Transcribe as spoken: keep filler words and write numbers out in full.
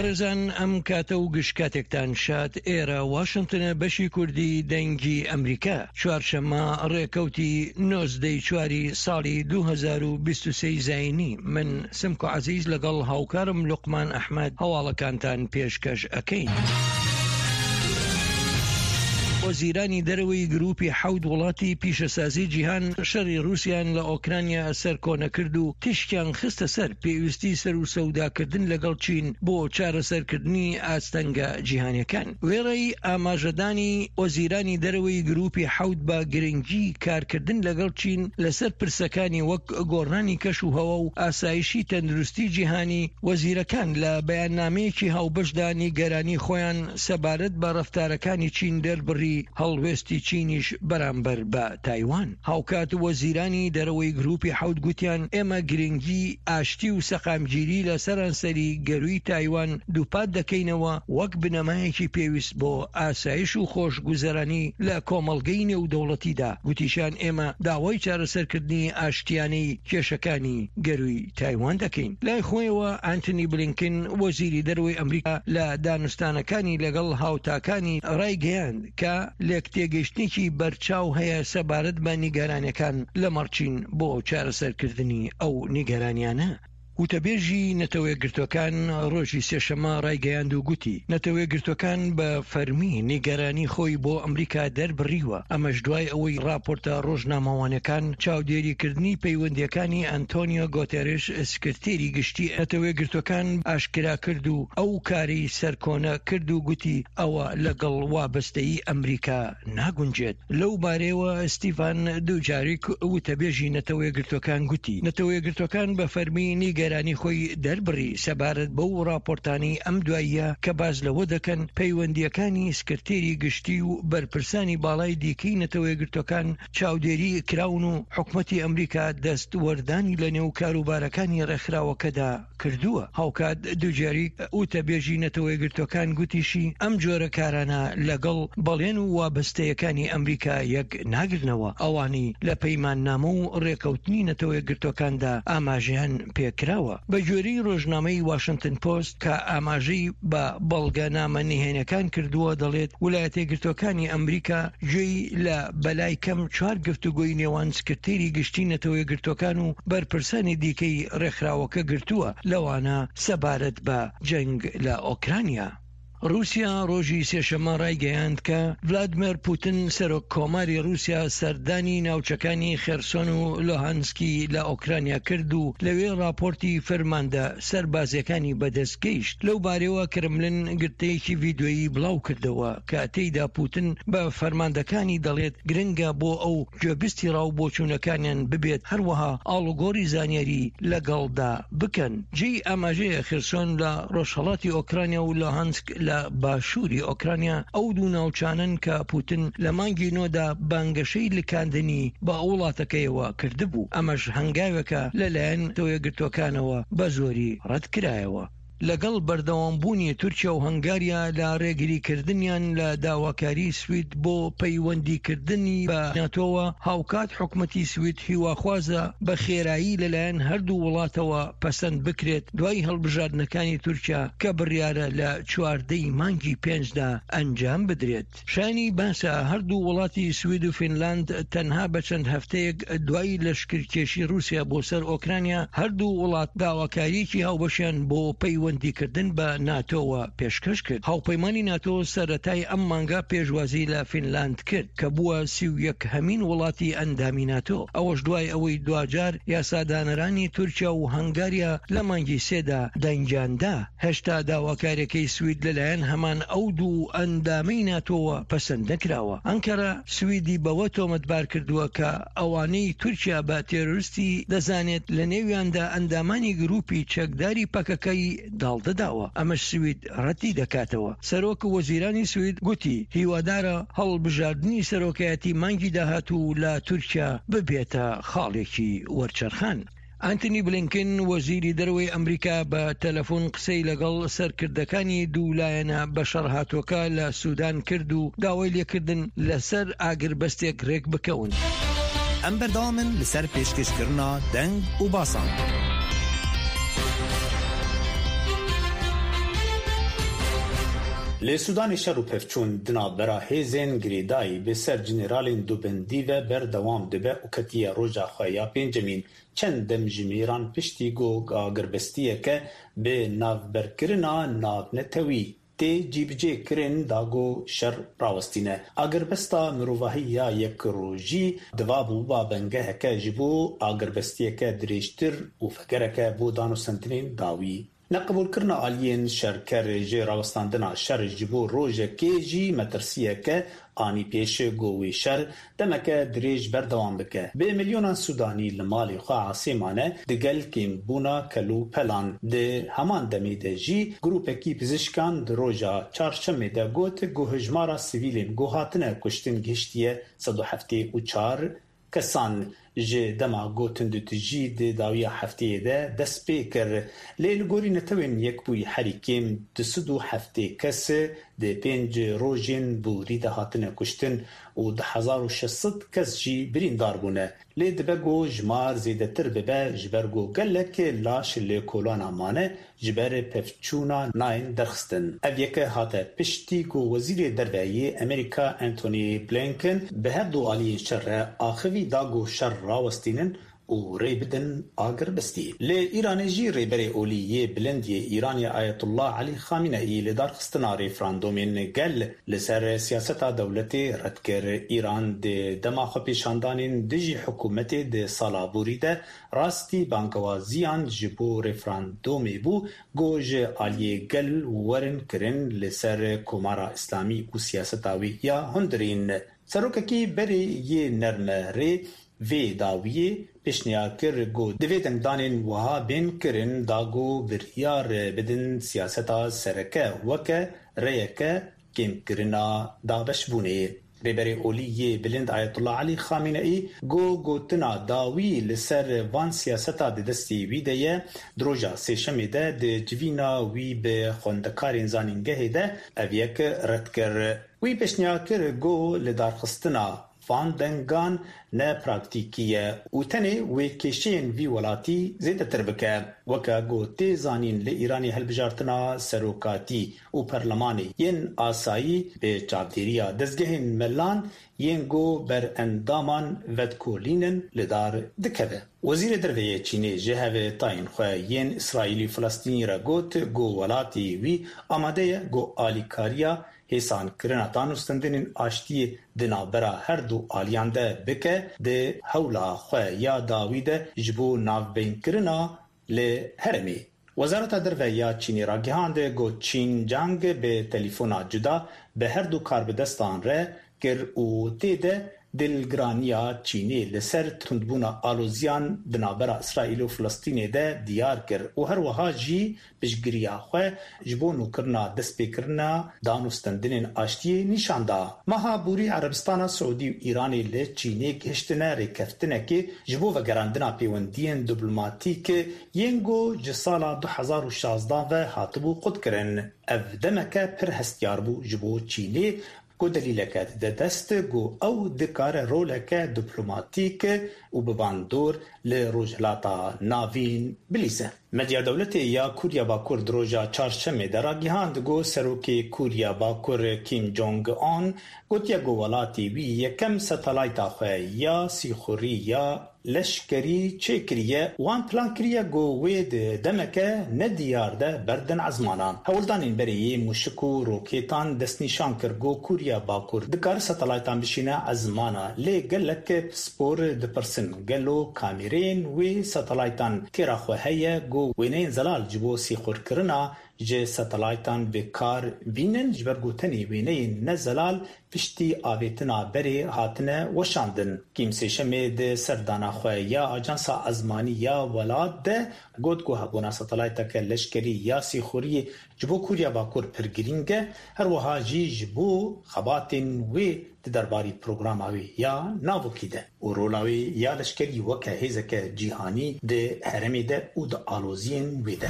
بەڕێزان، ئەم کاتە و گشت کاتێکتان شاد. ئێرە واشنتنە، بەشی کوردی دەنگی ئەمریکا. چوارشەممە ڕێکەوتی نۆزدەی چواری ساڵی دوو هەزار و بیست و سێ زایینی، من سمکۆ عەزیز لەگەڵ هاوکارم لوقمان ئەحمەد هەواڵەکانتان پێشکەش ئەکەین. وەزیرانی دەرەوەی گروپی حەوت وڵاتی پیشەسازی جیهان شەڕی رووسیان لە ئۆکرانیا سەرکۆنە کرد و تیشکیان خستە سەر پێویستی سەر و سەوداکردن لەگەڵ چین بۆ چارەسەرکردنی ئاستەنگە جیهانیەکان. وێڕای ئاماژەدانی وەزیرانی دەرەوەی گروپی حەوت بە گرنگی کارکردن لەگەڵ چین لەسەر پرسەکانی وەک گۆڕانی کەش و هەوا و ئاسایشی تەندروستی جیهانی، وەزیرەکان لە بەیاننامەیەکی هاوبەشدا نیگەرانی خۆیان سەبارەت بە ڕەفتارەکانی چین دەربڕی، هەڵوێستی چینیش بەرامبەر بە تایوان. هاوکات وەزیرانی دەرەوەی گروپی حەوت گوتیان ئێمە گرنگی ئاشتی و سەقامگیری لە سەرانسەری گەروی تایوان دووپات دەکەینەوە وەک بنەمایەکی پێویست بۆ ئاسایش و خۆشگوزەرانی لە کۆمەڵگەی نێودەوڵەتیدا. گوتیشان ئێمە داوای چارەسەرکردنی ئاشتیانەی کێشەکانی گەروی تایوان دەکەین. لای خۆیەوە ئەنتۆنی بلینکن، وەزیری دەرەوەی ئەمریکا، لە دانوستانەکانی لەگەڵ هاوتاکانی ڕایگەیاند کە لێکتێگەیشتنێکی بەرچاو هەیە سەبارەت بە نیگەرانیەکان لەمەڕ چین بۆ چارەسەرکردنی ئەو نیگەرانیانە. وتەبێژی نەتەوەیەکگرتوەکان ڕۆژی سێشەممە ڕایگەیاند و گوتی نەتەوەیەکگرتوەکان بە فەرمی نیگەرانی خۆی بۆ ئەمریکا دەربڕیوە، ئەمەش دوای ئەوەی ڕاپۆرتە ڕۆژنامەوانەکان چاودێریکردنی پەیوەندیەکانی ئەنتۆنیۆ گۆتێرش، سکرتێری گشتی نەتەوەیەکگرتوەکان، ئاشکرا کرد و ئەو کاری سەرکۆنە کرد و گوتی ئەوە لەگەڵ وابەستەیی ئەمریکا ناگونجێت. لەو بارەیەوە ستیفان دوجاریک، وتەبێژی نەتەوەیەکگرتوەکان، گوتی نەتەوەیەکگرتوەکان بە فەرمی نیگەرانی خۆی دەربڕی سەبارەت بەو راپۆرتانی ئەم دواییە کە باس لەوە دەکەن پەیوەندیەکانی سکرتێری گشتی و بەرپرسانی باڵای دیکەی نەتەوەیەکگرتوەکان چاودێری کراون و حکومەتی ئەمریکا دەست وەردانی لە نێو کاروبارەکانی ڕێکخراوەکەدا کردووە. هاوکات دوجاریک، وتەبێژی نەتەوەیەکگرتوەکان، گوتیشی ئەم جۆرە کارانە لەگەڵ بەڵێن و وابەستەیەکانی ئەمریکا یەک ناگرنەوە، ئەوانەی لە پەیماننامە و ڕێکەوتنی نەتەوەیەکگرتوەکاندا ئاماژەیان پێکراوە. بە گوێرەی ڕۆژنامەی واشنتن پۆست کە ئاماژەی بە بەڵگەنامە نهێنەکان کردووە، دەڵێت ولایەتەیەکگرتوەکانی ئەمریکا گوێی لە بەلای کەم چوار گفتوگۆی نێوان سکرتێری گشتی نەتەوەیەکگرتوەکان و بەرپرسانی دیکەی ڕێکخراوەکە گرتووە، لەوانە سەبارەت بە جەنگ لە ئۆکرانیا. رووسیا ڕۆژی سێشەممە ڕایگەیاند کە ڤلادیمێر پوتن، سەرۆک کۆماری رووسیا، سەردانی ناوچەکانی خێرسۆن و لۆهانسکی لە ئۆکرانیا کرد و لەوێ راپۆرتی فەرماندە سەربازیەکانی بەدەست گەیشت. لەو بارەوە کرملن گرتەیەکی ڤیدیۆیی بڵاو کردەوە کە تێیدا پوتن بە فەرماندەکانی دەڵێت گرنگە بۆ ئەو گوێبیستی ڕاو بۆچوونەکانیان ببێت، هەروەها ئاڵوگۆڕی زانیاری لەگەڵدا بکەن. جێی ئاماژەیە خێرسۆن لە ڕۆژهەڵاتی ئۆکرانیا و لۆهانسک لە باشووری ئۆکرانیا ئەو دوو ناوچانن کە پوتن لە مانگی نۆدا بانگەشەی لکاندنی بە وڵاتەکەیەوە کردبوو. ئەمەش هەنگاوێکە لەلایەن نەتەوەیەکگرتوەکانەوە بە زۆری ڕەتکرایەوە. لەگەڵ بەردەوامبوونی تورکیا و هەنگاریا لە ڕێگریکردنیان لە داواکاری سوید بۆ پەیوەندیکردنی بە ناتۆوە، هاوکات حکومەتی سوید هیواخوازە بە خێرایی لەلایەن هەردوو وڵاتەوە پەسەند بکرێت دوای هەڵبژاردنەکانی تورکیا کە بڕیارە لە چواردەی مانگی پێنجدا ئەنجام بدرێت. شایانی باسە هەردوو وڵاتی سوید و فینلاند تەنها بە چەند هەفتەیەک دوای لەشکرکێشی رووسیا بۆ سەر ئۆکرانیا، هەردوو وڵات داواکاریەکی هاوبەشیان بۆ پەیوەندیکردن بە ناتۆوە پێشکەش کرد. هاوپەیمانی ناتۆ سەرەتای ئەم مانگە پێشوازی لە فینلاند کرد کە بووە سی و یەک هەمین وڵاتی ئەندامی ناتۆ، ئەوەش دوای ئەوەی دواجار یاسادانەرانی تورکیا و هەنگاریا لە مانگی سێدا دەنگیاندا. هێشتا داواکاریەکەی سوید لەلایەن هەمان ئەو دوو ئەندامەی ناتۆوە پەسەند نەکراوە. ئەنکەرە سویدی بەوە تۆمەتبار کردووە کە ئەوانەی تورکیا بە تێرۆریستی دەزانێت، لە نێویاندا ئەندامانی گروپی چەکداری پەکەکەی، داڵدەداوە. ئەمەش سوید ڕەتی دەکاتەوە. سەرۆک وەزیرانی سوید گوتی هیوادارە هەڵبژاردنی سەرۆکایەتی مانگی داهاتوو لە تورکیا ببێتە خاڵێکی وەرچەرخان. ئەنتۆنی بلینکن، وەزیری دەرەوەی ئەمریکا، بە تەلەفۆن قسەی لەگەڵ سەرکردەکانی دوو لایەنە بەشەڕ هاتووەکە لە سودان کرد و داوای لێکردن لەسەر ئاگربەستێک ڕێک بکەون. ئەم بەردەوامن لەسەر پێشکەشکردنا دەنگ و باسان. Li Sudanê şer û pevçûn di navbera hêzên girêdayî bi ser generalên dubendî ve berdewam dibe û ketiye roja xwe ya pêncemîn. Çend demjimêran piştî ku agirbestiyeke bi navberkirina navnetewî tê cîbicîkirin da ku şer rawestîne. Agirbesta mirovahî ya yek rojî divabû bingeheke ji bo agirbestiyeke dirêjtir û vegereke bo danûstandinên dawî. Neqebûlkirina aliyên şerker ji rawestandina şer ji bo rojekê jî metirsiyeke anî pêş ku wê şer demeke dirêj berdewam bike. Bi milyonan Sudanî li malê xwe asê mane digel kêmbûna kelûpelan. Di heman demê de jî grûpekî pizîşkan di roja çarşemê de got ku hejmara sivîlên ku hatine kuştin gihiştiye sed û heftê û çar kesan. Ji dema ku tundûtûjî di dawiya hefteyê de dest pê kir. Lê li gorî Netewên Yekbûyî herî kêm du sed û heftê kes di pênc rojên borî de hatine kuştin û du hezar û şeş sed kes jî birîndar bûne. Lê dibe ku jimar zêdetir bibe ji ber ku gelek laş li kolana mane ji ber pevçûna nayên derxistin. Ev yeke hate piştî ku Wezîrê Derve yê Amerîka Antony Blinken bi her du aliyên şer re axivî da ku şer rawestînin û rê bidin agirbestiyê. Li Îranê jî rêberê olî yê bilind yê Îranê Ayetullah Elî Xamineyî li darxistina referandomên gel li ser siyaseta dewletê red kir. Îran di dema xwepêşandanên dijî hikûmetê di sala borî de rastî bangewaziyan ji bo referandomê bû ku ji aliyê gel werin kirin li ser Komara Îslamî û siyaseta wê ya hundirîn. Serokekî berê yê nerme rê vê dawiyê pêşniyar kir ku divê dengdanên wiha bên kirin da ku biryar bidin siyaseta sereke weke rêyeke kêmkirina dabeşbûnê. Rêberê olî yê bilind Ayetullah Elî Xamineyî got gotina dawî li ser van siyaseta di destê wî de ye di roja sêşemê de di civîna wî bi xwendekarên zanîngehê de ev yek red kir. Wî pêşniyar kir ku li darxistina van dengan ne praktîkî ye û tenê wê kêşeyên vî welatî zêdetir bike. Weke ku tê zanîn li Îranê hilbijartina serokatî û perlemanê yên asayî bi çavdêriya dezgehên melan yên ku berendaman vedikolînin li dar dikeve. Wezîrê Derve yê Çînê ji hevtayên xwe yên Îsraîlî Filistînî re got ku welatê wî amade ye ku alîkariya hêsankirina danûstandinên aştiyê di navbera her du aliyan de bike di hewla xwe ya dawî de ji bo navbeynkirina li herêmê. Wezareta Derve ya Çînê ragihand ku Çîn Cang bi telefona cuda bi her du karbidestan re kir û tê de dilgiraniya Çînê li ser tundbûna aloziyan di navbera Îsraîl û Filistînê de diyar kir û her wiha jî piştgiriya xwe ji bo nûkirina destpêkirina danûstandinên aştiyê nîşan da. Meha borî Erebistana Siûdî û Îranê li Çînê gihiştine rêkeftinekê ji bo vegerandina pêwendiyên diplomatîk yên ku ji sala du hezar û şazdeh ve hatibû qutkirin. Ev demeke pir hestiyar bû ji bo Çînê ku delîleke dide dest ku ew dikare roleke diplomatîk û bi bandor li Rojhilata Navîn bilîze. Medya dewletê ya Koriya Bakur di roja çarşemê de ragihand ku Serokê Koriya Bakur Kim Jong-un gotiye ku welatê wî yekem satelayta xwe ya sîxurî ya leşkerî çêkiriye wan plan kiriye ku wê di demeke nediyar de berdin ezmanan. Hewldanên berê yê mûşik û rokêtan destnîşan kir ku Koriya Bakur dikare satelaytan bişîne ezmana lê gelek pispor dipirsin gelo kamereyên wê satelaytan têra xwe heye ku wêneyên zelal ji bo sîxurkirina ji satelaytan bi kar bînin ji ber ku tenê wêneyên ne zelal piştî avêtina berê hatine weşandin. Kim sêşemê di serdana xwe ya ajansa ezmanî ya welat de got ku hebûna satelayteke leşkerî ya sîxuriyê ji bo Koriya Bakur pir girîng e, her wiha jî ji bo xebatên wê di derbarî programa wê ya navokî de û rola wê ya leşkerî weke hêzeke cîhanî di herêmê de û di aloziyên wê de.